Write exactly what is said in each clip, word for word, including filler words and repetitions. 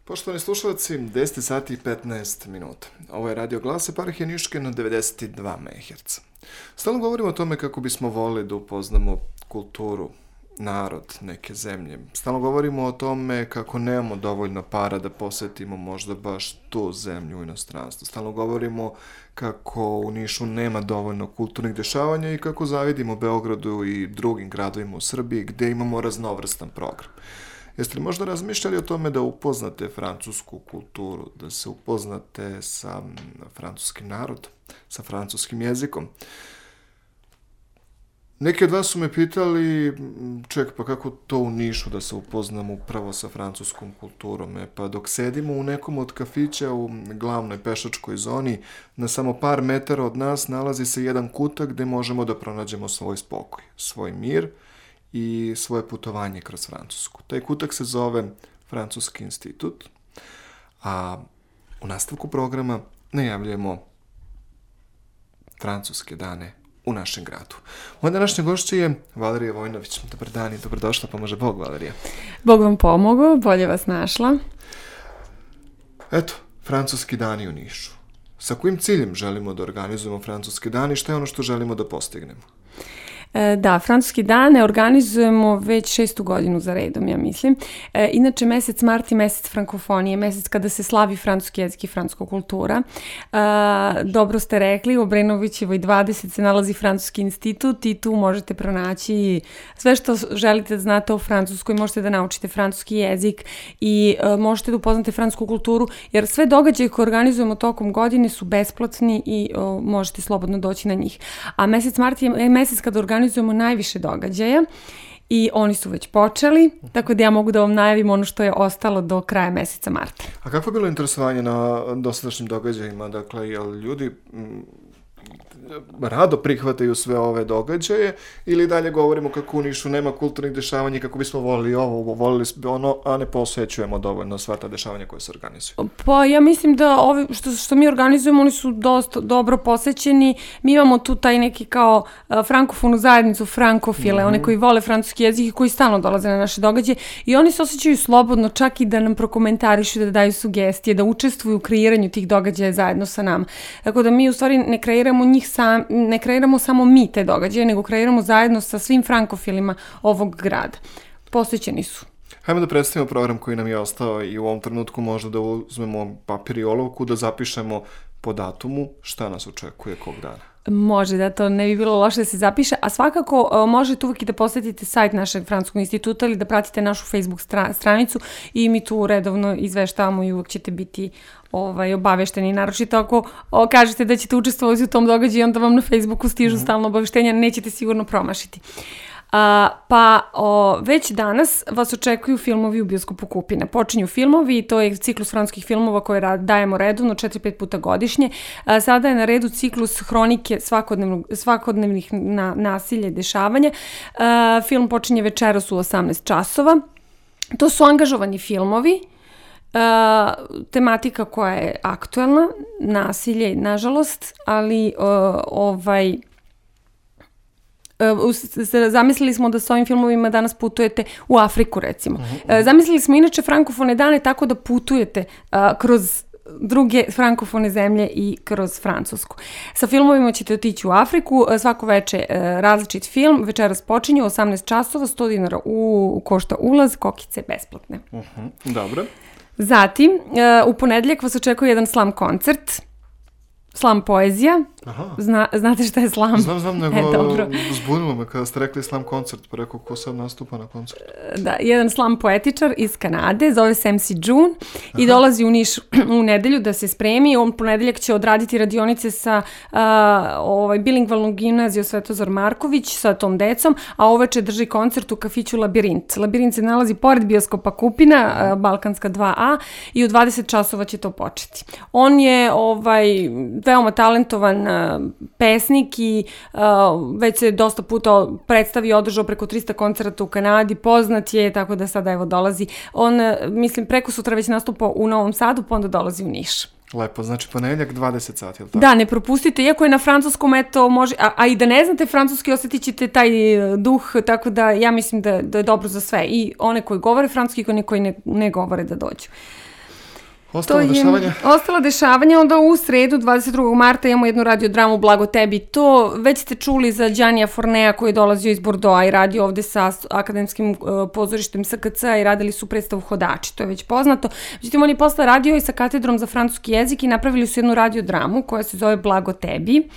Poštovani slušalci, deset sati i petnaest minuta. Ovo je Radio Glas Eparhije Niške na devedeset dva megaherca. Stalno govorimo o tome kako bismo volili da upoznamo kulturu, narod neke zemlje. Stalno govorimo o tome kako nemamo dovoljno para da posetimo možda baš tu zemlju u inostranstvu. Stalno govorimo kako u Nišu nema dovoljno kulturnih dešavanja i kako zavidimo Beogradu i drugim gradovima u Srbiji gde imamo raznovrstan program. Jeste li možda razmišljali o tome da upoznate francusku kulturu, da se upoznate sa francuskim narodom, sa francuskim jezikom? Neki od vas su me pitali, ček, pa kako to u Nišu da se upoznam upravo sa francuskom kulturom? E, pa dok sedimo u nekom od kafića u glavnoj pešačkoj zoni, na samo par metara od nas nalazi se jedan kutak gde možemo da pronađemo svoj spokoj, svoj mir i svoje putovanje kroz Francusku. Taj kutak se zove Francuski institut, a u nastavku programa najavljujemo francuske dane u našem gradu. Moja današnja gošća je Valerija Vojnović. Dobar dan i dobrodošla, pomože Bog, Valerija. Bog vam pomogao, bolje vas našla. Eto, francuski dani u Nišu. Sa kojim ciljem želimo da organizujemo francuske dani i šta je ono što želimo da postignemo? Da, francuski dane organizujemo već šestu godinu za redom, ja mislim. E, inače, mesec mart je mesec frankofonije, mesec kada se slavi francuski jezik i francuska kultura. E, dobro ste rekli, u Obrenovićevoj dvadeset se nalazi Francuski institut i tu možete pronaći sve što želite da znate o Francuskoj, možete da naučite francuski jezik i e, možete da upoznate francusku kulturu, jer sve događaje koje organizujemo tokom godine su besplatni i o, možete slobodno doći na njih. A mesec mart je mesec kada organizujemo organizujemo najviše događaja i oni su već počeli, tako da ja mogu da vam najavim ono što je ostalo do kraja meseca marta. A kako je bilo interesovanje na dosadašnjim događajima? Dakle, jel ljudi m, rado prihvataju sve ove događaje ili dalje govorimo kako u Nišu nema kulturnih dešavanja i kako bismo volili ovo, volili ono, a ne posvećujemo dovoljno sva ta dešavanja koje se organizuju? Pa ja mislim da ovi što, što mi organizujemo, oni su dosta dobro posvećeni. Mi imamo tu taj neki kao uh, frankofonu zajednicu, frankofile, mm-hmm. one koji vole francuski jezik i koji stalno dolaze na naše događaje i oni se osjećaju slobodno čak i da nam prokomentarišu, da daju sugestije, da učestvuju u kreiranju tih događaja zajedno sa nama. Tako da mi u stvari ne kreiramo njih sam, ne kreiramo samo mi te događaje, nego kreiramo zajedno sa svim frankofilima ovog grada. Posvećeni su. Hajmo da predstavimo program koji nam je ostao i u ovom trenutku možda da uzmemo papir i olovku, da zapišemo po datumu šta nas očekuje kog dana. Može, da, to ne bi bilo loše da se zapiše, a svakako uh, možete uvijek i da posetite sajt našeg Francuskog instituta ili da pratite našu Facebook stra- stranicu i mi tu redovno izveštavamo i uvijek ćete biti ovaj, obavešteni. Naročito ako o, kažete da ćete učestvovati u tom događaju, onda vam na Facebooku stižu mm-hmm. stalno obaveštenja, nećete sigurno promašiti. Uh, pa o, već danas vas očekuju filmovi u bioskopu Kupina. Počinju filmovi i to je ciklus francuskih filmova koje ra- dajemo redovno četiri pet puta godišnje. Uh, sada je na redu ciklus hronike svakodnevnog, svakodnevnih na, nasilja i dešavanja. Uh, film počinje večeras u osamnaest časova. To su angažovani filmovi. Uh, tematika koja je aktuelna, nasilje, nažalost, ali uh, ovaj... zamislili smo da s ovim filmovima danas putujete u Afriku, recimo. Uh-huh. Zamislili smo inače frankofone dane tako da putujete uh, kroz druge frankofone zemlje i kroz Francusku. Sa filmovima ćete otići u Afriku, svako veče uh, različit film, večeras počinje u osamnaest časova, sto dinara u, košta ulaz, kokice besplatne. Uh-huh. Dobro. Zatim, uh, u ponedjeljak vas očekuje jedan slam koncert, slam poezija. Aha. Zna, znate šta je slam? Znam, znam, nego e, dobro. zbunilo me kada ste rekli slam koncert, pa rekao ko sad nastupa na koncertu. Da, jedan slam poetičar iz Kanade, zove se em si June i dolazi u Niš u nedelju da se spremi. On ponedeljak će odraditi radionice sa uh, ovaj, bilingvalnom gimnazijom Svetozar Marković sa tom decom, a uveče drži koncert u kafiću Labirint. Labirint se nalazi pored bioskopa Kupina, uh, Balkanska dva a i u dvadeset časova će to početi. On je ovaj, veoma talentovan pesnik i uh, već se dosta puta predstavi i održao preko trista koncerata u Kanadi, poznat je, tako da sada evo dolazi. On, mislim, preko sutra već nastupa u Novom Sadu, pa onda dolazi u Niš. Lepo, znači ponedjeljak dvadeset sati, je li tako? Da, ne propustite, iako je na francuskom, eto, može, a, a i da ne znate francuski, osjetit ćete taj duh, tako da ja mislim da, da je dobro za sve. I one koji govore francuski i one koji ne, ne govore da dođu. Ostalo dešavanja? Ostala dešavanja, onda u sredu dvadeset drugog marta imamo jednu radiodramu Blago tebi. To već ste čuli za Đanija Fornea koji je dolazio iz Bordeauxa i radio ovde sa akademskim uh, pozorištem S K C-a i radili su predstavu Hodači, to je već poznato. Međutim, on je posle radio i sa katedrom za francuski jezik i napravili su jednu radiodramu koja se zove Blago tebi.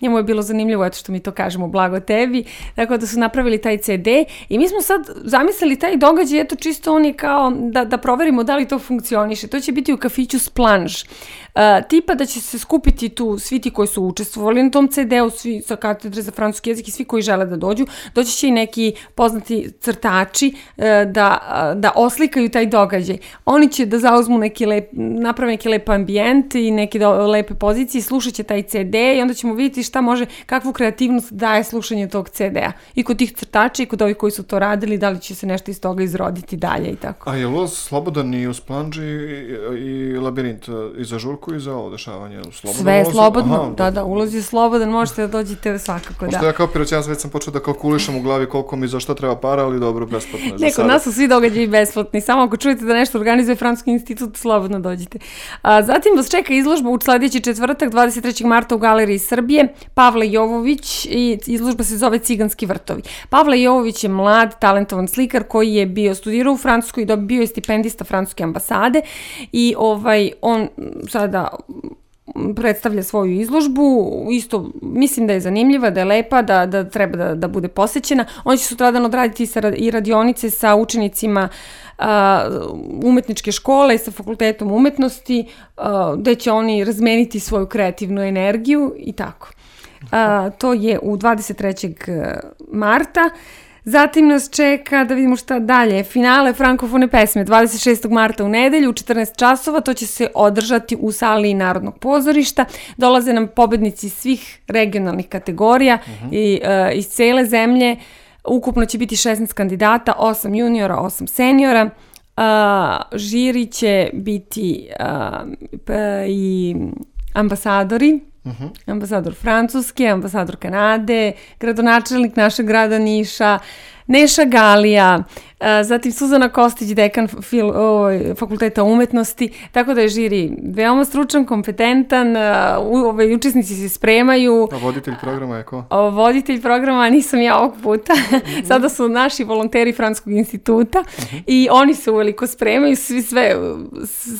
Njemu je bilo zanimljivo, eto što mi to kažemo, Blago tebi, tako da su napravili taj ce de i mi smo sad zamislili taj događaj, eto čisto oni kao da, da proverimo da li to funkcioniše. To će biti u kafiću Splange. Uh, tipa da će se skupiti tu svi ti koji su učestvovali na tom ce de-u, svi sa katedre za francuski jezik i svi koji žele da dođu. Doći će i neki poznati crtači uh, da, uh, da oslikaju taj događaj. Oni će da zauzmu neki lep, naprave neki lep ambijent i neke do, lepe pozicije, slušat će taj ce de i onda ćemo vidjeti šta može, kakvu kreativnost daje slušanje tog ce de-a. I kod tih crtača i kod ovih koji su to radili, da li će se nešto iz toga izroditi dalje i tako. A je ulaz slobodan i u Splange i, i Labirint i za žurku i za ovo dešavanje? Slobodno sve je ulaz? slobodno, Aha, da, da, ulaz je slobodan, možete da dođete svakako, da. Pošto ja kao piroćanac već sam počeo da kalkulišem u glavi koliko mi za što treba para, ali dobro, besplatno je za Neko, sada. nas su svi događaji besplatni, samo ako čujete da nešto organizuje Francuski institut, slobodno dođite. A, zatim vas čeka izložba u sledeći četvrtak, dvadeset trećeg marta u Galeriji Srbije, Pavle Jovović i izložba se zove Ciganski vrtovi. Pavle Jovović je mlad, talentovan slikar koji je bio studirao u Francuskoj i bio je stipendista Francuske ambasade i ovaj, on sada predstavlja svoju izložbu, isto mislim da je zanimljiva, da je lepa, da, da treba da, da bude posećena. On će sutradan odraditi i radionice sa učenicima uh, umetničke škole i sa fakultetom umetnosti, uh, gde će oni razmeniti svoju kreativnu energiju i tako. Uh, to je u dvadeset trećeg marta. Zatim nas čeka, da vidimo šta dalje, finale frankofone pesme dvadeset šestog marta u nedelju u četrnaest časova, to će se održati u sali Narodnog pozorišta. Dolaze nam pobednici svih regionalnih kategorija uh-huh. i uh, iz cele zemlje. Ukupno će biti šesnaest kandidata, osam juniora, osam seniora. Uh, žiri će biti uh, p- i ambasadori. Uh-huh. Ambasador Francuske, ambasador Kanade, gradonačelnik našeg grada Niša, Neša Galija, zatim Suzana Kostić, dekan fil, o, fakulteta umetnosti, tako da je žiri veoma stručan, kompetentan, u, ove, učesnici se spremaju. A voditelj programa je ko? O, voditelj programa nisam ja ovog puta, mm-hmm. sada su naši volonteri Francuskog instituta mm-hmm. i oni se uveliko spremaju, svi sve,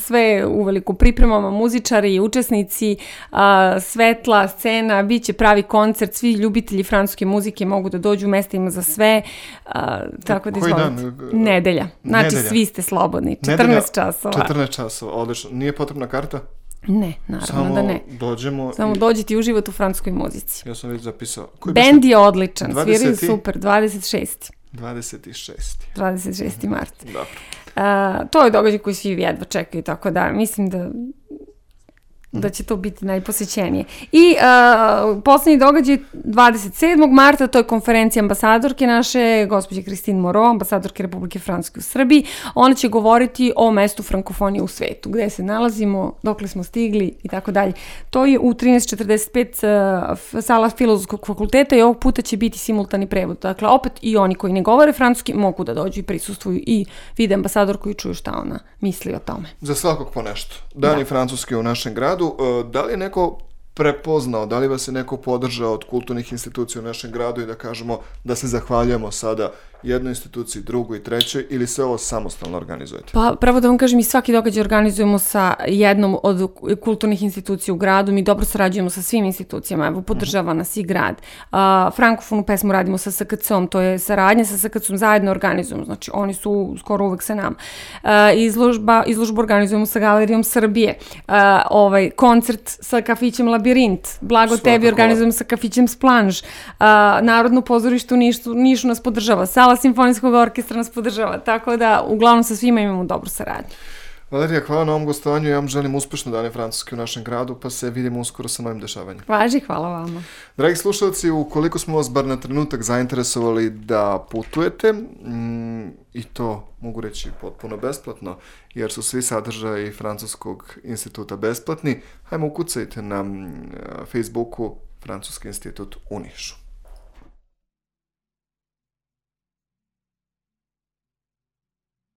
sve uveliko pripremamo, muzičari, učesnici, a, svetla, scena, bit će pravi koncert, svi ljubitelji francuske muzike mogu da dođu, mesta ima za sve, a, tako da izvolite. Nedelja. Znači, Nedelja. Svi ste slobodni. četrnaest časova. četrnaest časova, odlično. Nije potrebna karta? Ne, naravno Samo da ne. Dođemo Samo i... dođete i uživate u francuskoj muzici. Ja sam već zapisao. Bend je odličan, dvadeseti sviraju super, dvadeset šesti dvadeset šesti dvadeset šesti mart. Dobro. Uh, to je događaj koji svi jedva čekaju, tako da mislim da da će to biti najposećenije. I uh, poslednji događaj dvadeset sedmog marta, to je konferencija ambasadorke naše, gospođe Christine Moreau, ambasadorke Republike Francuske u Srbiji. Ona će govoriti o mestu frankofonije u svetu, gde se nalazimo, dokle smo stigli i tako dalje. To je u trinaest četrdeset pet uh, sala Filozofskog fakulteta i ovog puta će biti simultani prevod. Dakle, opet i oni koji ne govore francuski mogu da dođu i prisustvuju i vide ambasadorku i čuju šta ona misli o tome. Za svakog po nešto. Dani Francuske u našem gradu. Da li je neko prepoznao, da li vas je neko podržao od kulturnih institucija u našem gradu i da kažemo da se zahvaljujemo sada jednoj instituciji, drugoj i trećoj, ili se ovo samostalno organizujete? Pa pravo da vam kažem, i svaki događaj organizujemo sa jednom od kulturnih institucija u gradu, mi dobro sarađujemo sa svim institucijama, evo podržava nas i grad. Uh, Frankofonu pesmu radimo sa S K C-om, to je saradnja sa S K C-om, zajedno organizujemo, znači oni su skoro uvek sa nama. Uh, izložba, izložbu organizujemo sa Galerijom Srbije, uh, ovaj, koncert sa kafićem Labirint, Blago Svakako. Tebi organizujemo sa kafićem Splange, uh, Narodno pozorište u Nišu, Nišu nas podržava, Sala simfonijskog orkestra nas podržava, tako da uglavnom sa svima imamo dobru saradnju. Valerija, hvala na ovom gostovanju, ja vam želim uspešno dane Francuske u našem gradu, pa se vidimo uskoro sa novim dešavanjem. Važi, hvala vama. Dragi slušalci, ukoliko smo vas bar na trenutak zainteresovali da putujete, mm, i to mogu reći potpuno besplatno, jer su svi sadržaji Francuskog instituta besplatni, hajmo ukucajte na Facebooku Francuski institut u Nišu.